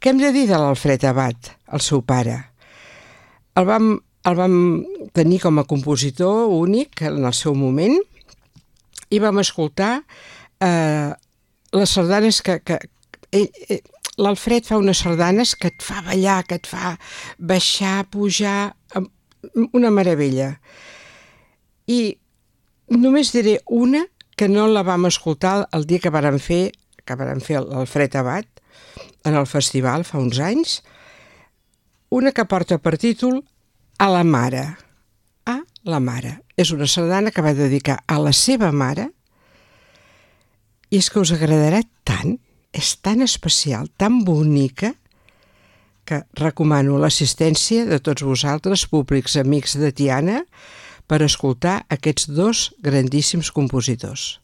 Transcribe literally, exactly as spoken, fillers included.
Què hem de dir de l'Alfred Abat, el seu pare? El vam, el vam tenir com a compositor únic en el seu moment i vam escoltar eh, les sardanes que... que ell, ell, l'Alfred fa unes sardanes que et fa ballar, que et fa baixar, pujar, una meravella. I només diré una que no la vam escoltar el dia que vàrem fer, que vàrem fer l'Alfred Abat en el festival fa uns anys, una que porta per títol A la mare. A la mare. És una sardana que va dedicar a la seva mare i és que us agradarà tant, és tan especial, tan bonica, que recomano l'assistència de tots vosaltres, públics amics de Tiana, per escoltar aquests dos grandíssims compositors.